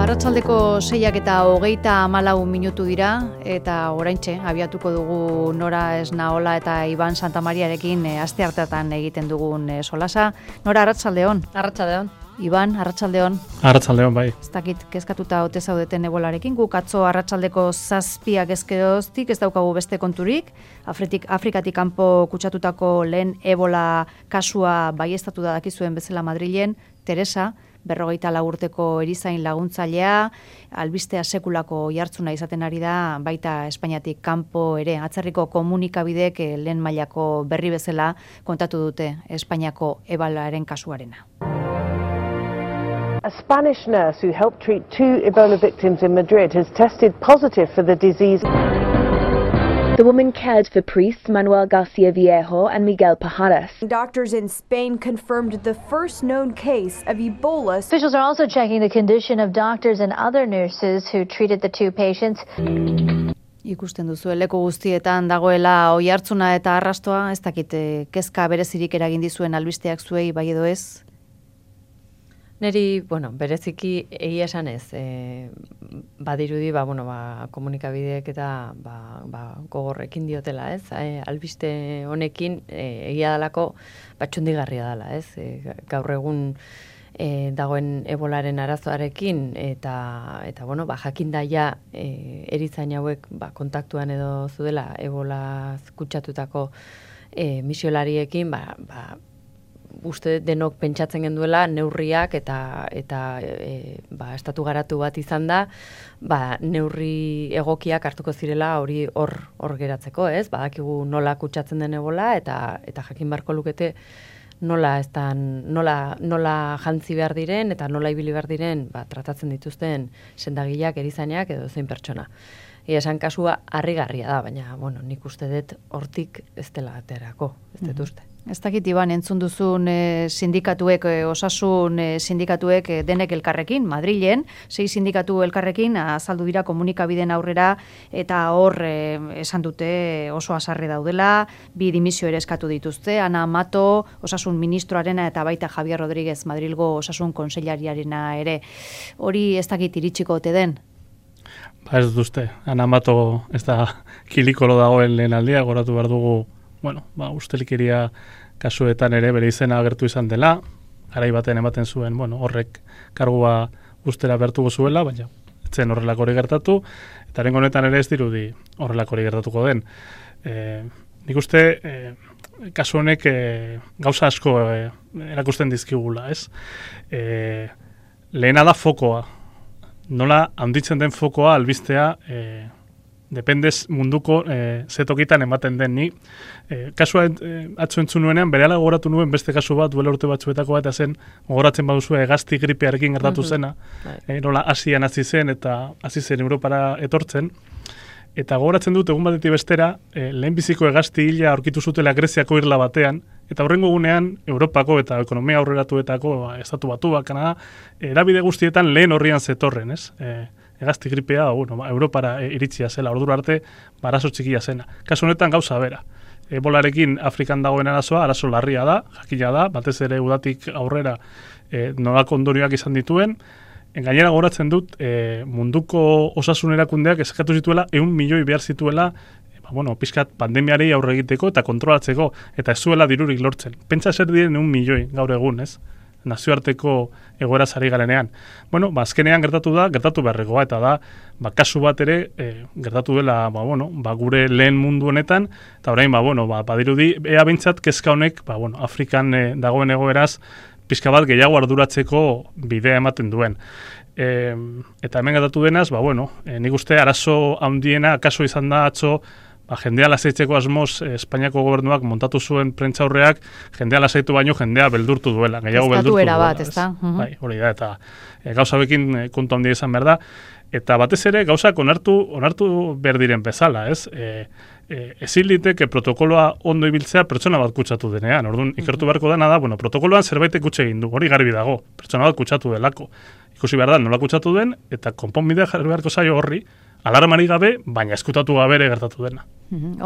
Arratsaldeko 6:24 dira eta oraintxe abiatuko dugu Nora Esnaola eta Iban Santamariarekin asteartetan egiten dugun solasa. Nora, arratsaldeon. Arratsaldeon. Iban, arratsaldeon. Arratsaldeon, bai. Ez dakit kezkatuta ote zaudeten ebolarekin, guk atzo arratsaldeko 7 ezkeroztik ez daukagu beste konturik. Afrikatik kanpo kutsatutako lehen ebola kasua baieztatu da dakizuen bezala Madrilen, Teresa, 54 urteko erizain laguntzailea, albistea sekulako jartzuna izaten ari da, baita Espainiatik kanpo ere. Atzerriko komunikabidek lehen mailako berri bezala kontatu dute Espainiako ebolaren kasuarena. A Spanish nurse who helped treat 2 Ebola victims in Madrid has tested positive for the disease. The woman cared for priests Manuel Garcia Viejo and Miguel Pajares. Doctors in Spain confirmed the first known case of Ebola. Officials are also checking the condition of doctors and other nurses who treated the 2 patients. Ikusten duzu, leku guztietan dagoela oihartzuna eta arrastoa, ez dakit kezka berezirik eragin dizuen albisteak zuei bai edo ez? Neri, bereziki egia esan ez, badirudi, komunikabideek eta gogorrekin diotela, ez? Albiste honekin egia dalako txundigarria dela, ez? Gaur egun dagoen ebolaren arazoarekin eta jakin daia erizain hauek kontaktuan edo zudela ebola kutsatutako misiolariekin, uste denok pentsatzen genduela neurriak eta estatu garatu bat izan da, neurri egokiak hartuko zirela hori hor geratzeko, ez? Badakigu nola kutsatzen den ebola eta jakin beharko lukete nola jantzi behar diren eta nola ibili behar diren tratatzen dituzten sendagileak, erizainak edo zein pertsona. Esan kasua harrigarria da, baina nik uste dut hortik ez dela aterako, ez dut uste. Ez dakit, Iban, entzun duzun sindikatuek, osasun sindikatuek denek elkarrekin, Madrilen, 6 sindikatu elkarrekin, azaldu dira komunikabideen aurrera, eta hor esan dute oso hasarre daudela, 2 dimisio ere eskatu dituzte, Ana Mato, osasun ministroarena, eta baita Javier Rodríguez Madrilgo osasun kontseilariarena ere. Hori ez dakit iritsiko ote den? Ez dut uste, Ana Mato ez da kilikolo dagoen lehen aldia, goratu behar dugu, ustelikeria kasuetan ere bere izena agertu izan dela, garai baten ematen zuen, horrek kargua ustera bertuko zuela, baina etzen horrelako hori gertatu, eta rengo honetan ere ez dirudi horrelako hori gertatuko den. Nik uste, kasu honek gauza asko erakusten dizkigula, ez? Lehena da fokoa. Nola handitzen den fokoa albistea dependez munduko zetokitan ematen den ni. Kasua atzo entzun nuenean, berehala gogoratu nuen beste kasu bat, duela urte batzuetako bat, zen gogoratzen baduzu hegazti gripearekin gertatu zena, nola Asian hasi zen eta hasi zen Europara etortzen, eta gogoratzen dut egun batetik bestera, lehenbiziko hegazti hila aurkitu zutela Greziako irla batean, eta horrengo gunean Europako eta ekonomia aurreratuetako estatu batuak, Kanada, erabide guztietan lehen horrian zetorren, ez? Hegazti gripea, Europara iritsia zela, ordura arte, arazo txikia zena. Kasu honetan gauza bera. Ebolarekin Afrikan dagoen arazo larria da, jakina da, batez ere udatik aurrera nolako ondorioak izan dituen. Gainera gogoratzen dut, munduko osasun erakundeak eskatu zituela 100 milioi behar zituela, pixkat pandemiari aurre egiteko eta kontrolatzeko, eta ez zuela dirurik lortzen. Pentsa zer diren 100 milioi gaur egun, ez? Nazioarteko egoera zari garenean. Azkenean gertatu beharrekoa, eta da, kasu bat ere gertatu dela, gure lehen mundu honetan, eta orain, badirudi, ea bintzat kezka honek, Afrikan dagoen egoeraz, pixka bat gehiago arduratzeko bidea ematen duen. Eta hemen gertatu denaz, nik uste arazo handiena, kaso izan da atzo, jendea lasaitzeko asmoz Espainiako gobernuak montatu zuen prentzaurreak, jendea lasaitu baino jendea beldurtu duela, gehiago beldurtu duela. Bat, ez da? Bai, hori da, eta gauza bekin kontu handia izan behar da, eta batez ere gauzak onartu behar diren bezala, ez? Ezin liteke protokoloa ondo ibiltzea pertsona bat kutsatu denean. Orduan, ikertu beharko dena da, protokoloan zerbait kutsa egin du, hori garbi dago, pertsona bat kutsatu delako. Ikusi behar da, nola kutsatu den, eta konponbidea jarri beharko zaio horri, alarmari gabe, baina eskutatu gabe ere gertatu dena.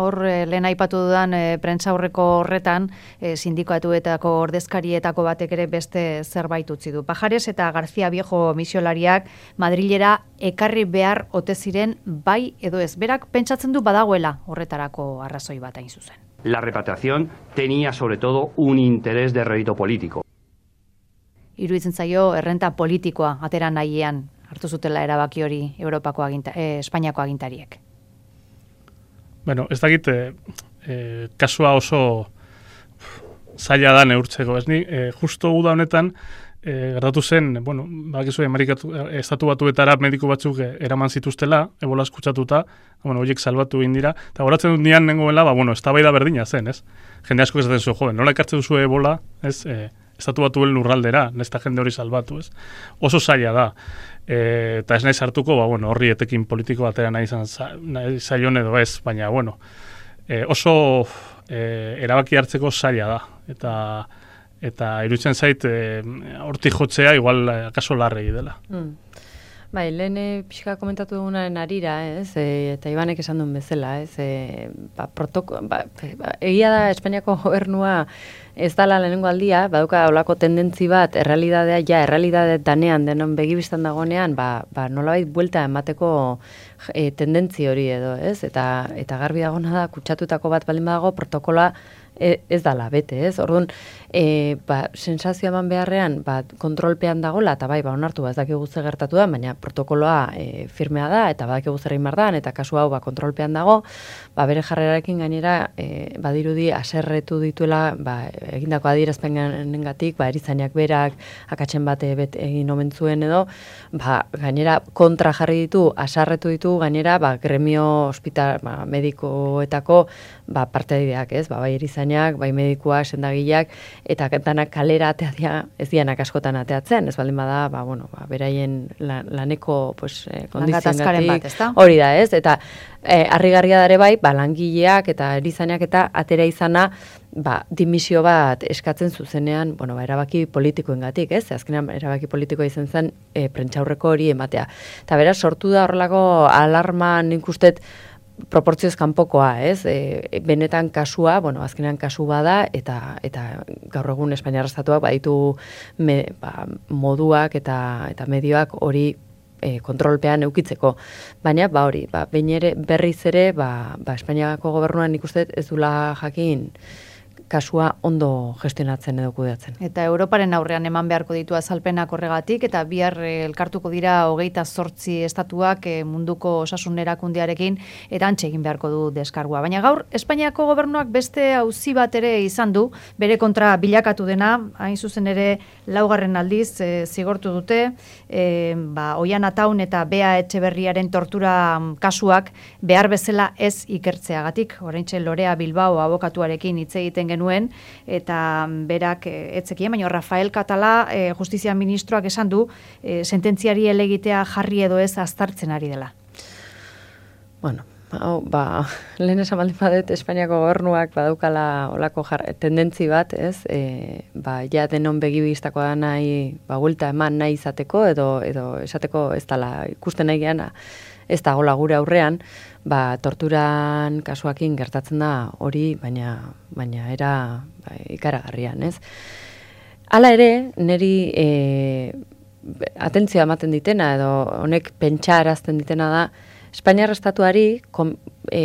Hor, lehen aipatu dudan prentsaurreko horretan, sindikatuetako ordezkarietako batek ere beste zerbait utzi du. Pajares eta García Viejo misiolariak Madrilera ekarri behar ote ziren bai edo ez. Berak pentsatzen du badagoela horretarako arrazoi bat hain zuzen. La repatriación tenía sobre todo un interés de rédito político. Iruditzen zaio errenta politikoa atera nahian hartu zutela erabaki hori Espainiako agintariek. Bueno, ez dakit, kasua oso zaila da neurtzeko, ez ni, justo uda honetan, gertatu zen, bueno, bakizu estatu batuetara mediku batzuk eraman zituztela, ebola eskutsatuta, bueno, horiek salbatu indira, eta goratzen dut nian nengoela, bueno, eztabaida berdina zen, ez? Jende asko esaten zuen, joven, nola ekartzen duzu ebola, ez, estatu batuen lurraldera, nesta jende hori salbatu, ez? Oso zaila da. Eta ez nahi sartuko, bueno, horri etekin politiko batera nahi zaion edo ez, baina, bueno, oso erabaki hartzeko zaila da. Eta iruditzen zait, hortik jotzea, igual, akaso larregi dela. Bai, lehen pixka komentatu dugunaren arira, ez, eta Ibanek esan duen bezala, ez, egia da Espainiako gobernua ez dala lehenengo aldia, baduka olako tendentzi bat, errealidade danean denon begibistan dagonean, nolabait buelta emateko tendentzi hori edo, ez, eta garbi dagona da, kutsatutako bat baldin badago, protokoloa ez dala bete, ez? Orduan, sensazio eman beharrean, kontrolpean dagola, eta onartu, ez dakigu ze gertatu da, baina protokoloa firmea da, eta badakigu zer egin behar da, eta kasu hau kontrolpean dago, bere jarrerarekin gainera, badirudi aserretu dituela, egindako adierazpenengatik, erizainak berak, akatsen bate egin omen zuen edo, gainera kontra jarri ditu, asarretu ditu, gainera, gremio hospital, medikoetako, parteideak, ez? Bai erizainak, bai medikuak, sendagileak, eta danak kalera ateatzea, ez dianak askotan ateatzen, ez baldin bada, beraien laneko kondiziongatik, hori da, ez? Eta harrigarria dare bai, langileak eta erizainak eta atera izana, dimisio bat eskatzen zuzenean, erabaki politikoengatik, ez? Azkenean erabaki politikoa izan zen prentsaurreko hori ematea. Eta beraz, sortu da horrelako alarma nik ustet proportzioz kanpokoa, ez? Benetan kasua, azkenean kasu bada, eta gaur egun Espainiar estatuak baditu moduak eta medioak hori kontrolpean eukitzeko. Baina, hori, berriz ere, Espainiako gobernuan nik uste ez dula jakin kasua ondo gestionatzen edo kudeatzen. Eta Europaren aurrean eman beharko ditu azalpenak horregatik, eta bihar elkartuko dira 28 estatuak munduko osasun erakundearekin erantxe egin beharko du deskargua. Baina gaur, Espainiako gobernuak beste auzi bat ere izan du, bere kontra bilakatu dena, hain zuzen ere 4. aldiz zigortu dute, Oian Ataun eta Bea Etxeberriaren tortura kasuak behar bezala ez ikertzeagatik. Oraintxe Lorea Bilbao abokatuarekin hitz egiten genuen, eta berak etzekien, baina Rafael Catala justizia ministroak esan du sententziari elegitea jarri edo ez aztartzen ari dela. Bueno, lehen esan baldin badet Espainiako gobernuak badaukala olako tendentzi bat, ez? Ja denon begibistako da nahi, buelta eman nahi izateko, edo esateko ez dala ikusten nahi geana, ez da gola gure aurrean, torturan kasuakin gertatzen da hori, baina era ikaragarrian, ez? Hala ere, niri atentzioa ematen ditena, edo honek pentsarazten ditena da, Espainiar estatuari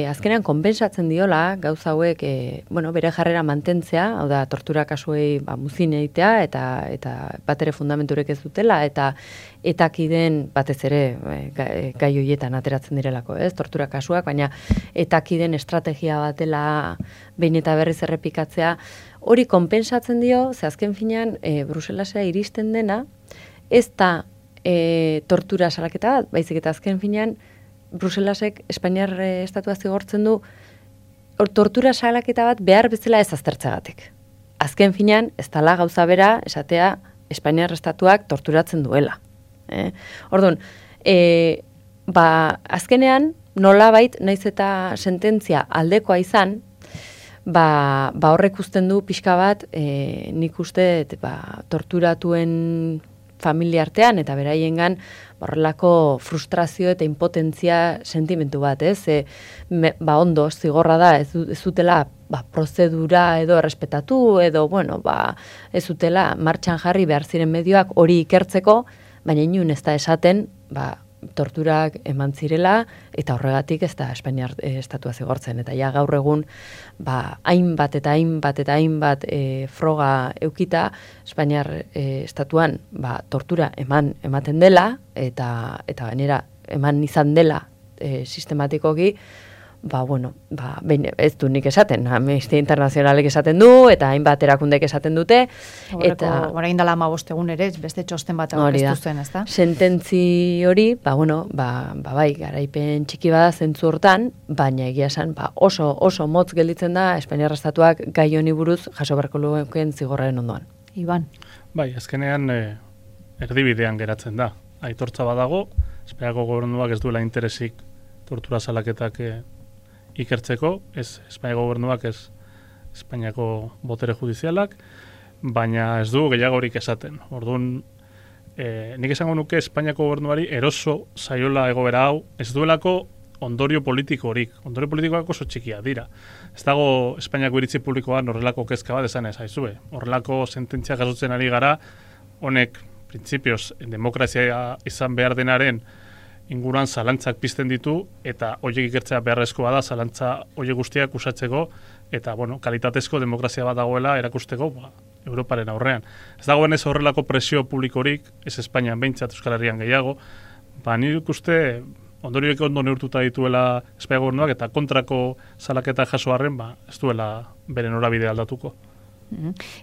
azkenean konpensatzen diola gauza hauek bere jarrera mantentzea, hau da tortura kasuei muzin egitea eta bat ere fundamenturek ez dutela eta etakiden batez ere gai horietan ateratzen direlako, ez? Tortura kasuak, baina etakiden estrategia batela behin eta berriz errepikatzea hori konpensatzen dio, ze azken finean Bruselasea iristen dena ez da tortura salaketa bat, baizik eta azken finean Bruselasek Espainiar estatua zigortzen du tortura salaketa bat behar bezala ez aztertzeagatik. Azken finean, ez dala gauza bera esatea Espainiar estatuak torturatzen duela. Orduan, azkenean nolabait naiz eta sententzia aldekoa izan, horrek uzten du pixka bat nik uste torturatuen familia artean, eta beraiengan horrelako frustrazio eta impotentzia sentimentu bat, ez? Ondo, zigorra da, ez dutela prozedura edo errespetatu, edo, ez dutela martxan jarri behar ziren medioak hori ikertzeko, baina inun ez da esaten, torturak eman zirela, eta horregatik ez da Espainiar estatua zigortzen. Eta ja gaur egun, hainbat eta hainbat froga eukita, Espainiar estatuan tortura ematen dela, eta gainera eman izan dela sistematikoki, ez du nik esaten, Amnistia Internazionalek esaten du, eta hainbat erakundek esaten dute. Orain dela 15 egun ere, beste txosten bat aurkeztu zen, ez da? Sententzi hori, bai, garaipen txiki bada zentzu hortan, baina egia esan, oso motz gelditzen da Espainiar estatuak gai honi buruz jaso beharko lukeen zigorraren ondoan. Iban. Bai, azkenean erdibidean geratzen da. Aitortza badago, Espainiako gobernuak ez duela interesik tortura salaketak ikertzeko, ez Espainiako gobernuak, ez Espainiako botere judizialak, baina ez du gehiagorik esaten. Orduan, nik esango nuke Espainiako gobernuari eroso zaiola egoera hau, ez duelako ondorio politikorik. Ondorio politikoak oso txikia dira. Ez dago Espainiako iritzi publikoan horrelako kezka bat esan ez aizue. Horrelako sententzia jasotzen ari gara, honek printzipioz demokrazia izan behar denaren inguruan zalantzak pizten ditu, eta horiek ikertzea beharrezkoa da, zalantza horiek guztiak usatzeko, eta, kalitatezko demokrazia bat dagoela erakusteko, Europaren aurrean. Ez dagoen ez horrelako presio publikorik, ez Espainian behintzat, Euskal Herrian gehiago, nik uste ondorioek ondo neurtuta dituela Espainiako gobernuak, eta kontrako salaketa jaso arren, ez duela bere norabide aldatuko.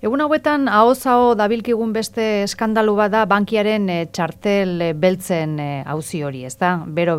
Egun hauetan, ahoz-aho dabilkigun beste eskandalu bada bankiaren txartel beltzen auzi hori, ez da? Bero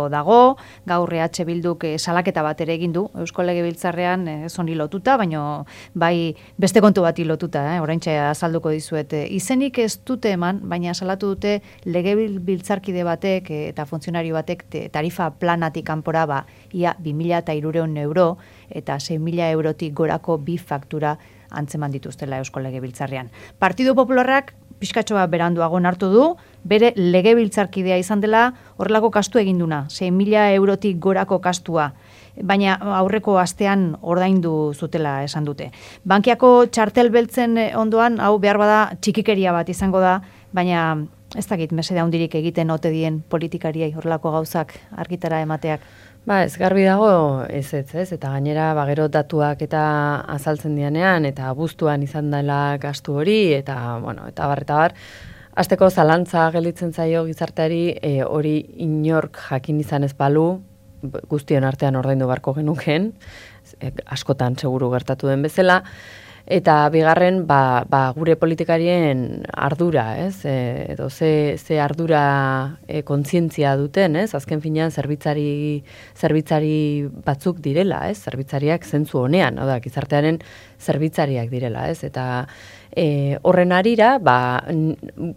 dago, gaur EH Bilduk salaketa bat ere egin du, Eusko Legebiltzarrean ez honi lotuta, baina bai beste kontu bati lotuta, oraintxe azalduko dizuet. Izenik ez dute eman, baina salatu dute Legebiltzarkide batek eta funtzionario batek tarifa planatik kanpora ia 2.300 euro eta 6.000 eurotik gorako bi faktura antzeman dituztela Eusko Legebiltzarrean. Partidu Popularrak pixkatxoa beranduago hartu du, bere legebiltzarkidea izan dela horrelako kastu eginduna, 6.000 eurotik gorako kastua, baina aurreko astean ordaindu zutela esan dute. Bankiako txartel beltzen ondoan, hau behar bada txikikeria bat izango da, baina ez dakit mesede handirik egiten ote dien politikariei horrelako gauzak argitara emateak. Ez garbi dago ez, eta gainera gero datuak eta azaltzen dianean, eta abuztuan izan dela gastu hori, eta bar, hasteko zalantza gelditzen zaio gizarteari hori inork jakin izan ez balu, guztion artean ordaindu beharko genuken, askotan seguru gertatu den bezala, eta bigarren, gure politikarien ardura, edo ze ardura kontzientzia duten, azken finean zerbitzari batzuk direla, zerbitzariak zentzu honean, gizartearen zerbitzariak direla, eta horren arira,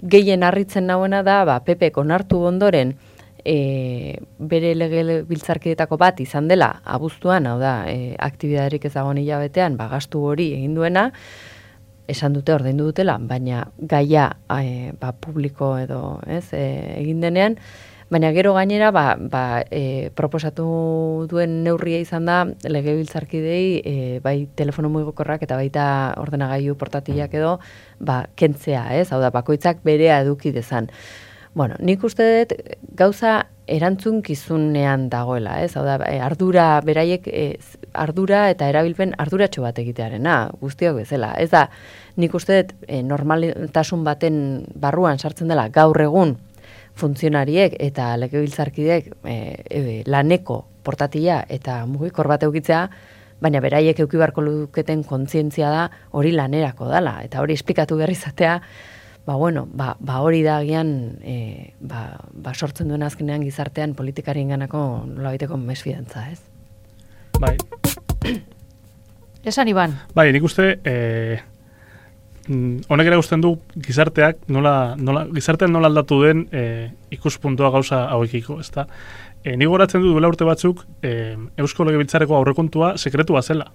gehien harritzen nauena da, PPk onartu ondoren, bere legebiltzarkidetako bat izan dela abuztuan, aktibidaderik ezagon hilabetean, gastu hori egin duena, esan dute ordaindu dutela, baina gaia publiko edo egin denean, baina gero gainera proposatu duen neurria izan da legebiltzarkidei bai telefono mugikorrak eta baita ordenagailu portatilak edo kentzea, bakoitzak berea eduki dezan. Nik uste dut gauza erantzunkizunean dagoela, ardura beraiek ardura eta erabilpen arduratxo bat egitearena, guztiok bezala. Ez da, nik uste dut normaltasun baten barruan sartzen dela gaur egun funtzionariek eta legebiltzarkideek laneko portatila eta mugikor bat eukitzea, baina beraiek euki beharko luketen kontzientzia da hori lanerako dela, eta hori esplikatu behar izatea, hori da agian sortzen duen azkenean gizartean politikarien ganako nolabaiteko mesfidantza, ez? Bai. Esan, Iban. Bai, nik uste, honek ere guztien du gizarteak gizartean nola aldatu den ikuspuntua gauza hauekiko, ez da? Nik goratzen du duela urte batzuk Eusko Legebiltzarreko aurrekontua sekretua zela.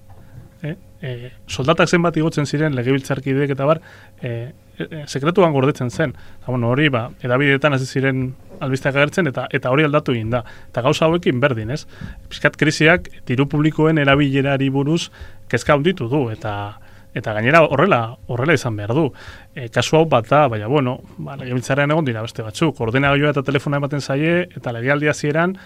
soldatak zenbat igotzen ziren legebiltzarkideek eta bar, sekretuan gordetzen zen. Hori, edabideetan hasi ziren albisteak agertzen, eta hori aldatu egin da. Eta gauza hauekin berdin, ez? Piskat krisiak diru publikoen erabilerari buruz kezka handitu du, eta gainera horrela izan behar du. Kasu hau bat da, baina legebiltzarrean egon dira beste batzuk. Ordenagailua eta telefona ematen zaie, eta legealdi hasieran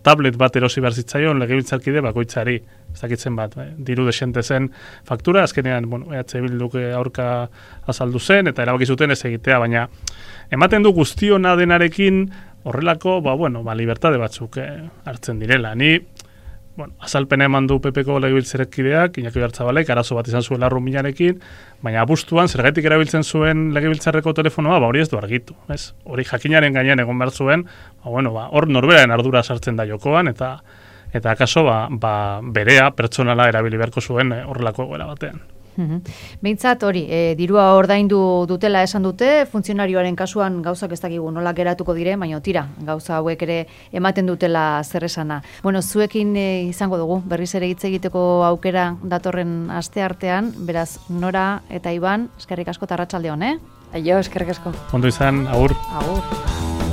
tablet bat erosi behar zitzaion legebiltzarkide bakoitzari. Ez dakitzen bat, diru desente zen faktura, azkenean, EH Bilduk aurka azaldu zen, eta erabaki zuten ez egitea, baina ematen du guztiona denarekin horrelako, libertade batzuk hartzen direla. Ni, azalpena eman du PPko legebiltzarkideak, Iñaki Oiartzabalek, arazo bat izan zuen larruminarekin, baina abuztuan, zergatik erabiltzen zuen legebiltzarreko telefonoa, hori ez du argitu. Hori jakinaren gainean egon behar zuen, hor norberaren ardura sartzen da jokoan, eta akaso berea pertsonala erabili beharko zuen horrelako egoera batean. Behintzat hori, dirua ordaindu dutela esan dute, funtzionarioaren kasuan gauzak ez dakigu nola geratuko dire, baina tira, gauza hauek ere ematen dutela zer esana. Zuekin izango dugu, berriz ere hitz egiteko aukera datorren aste artean, beraz Nora eta Iban, eskerrik asko eta arratsalde on, Aio, eskerrik asko. Ondo izan, agur. Agur.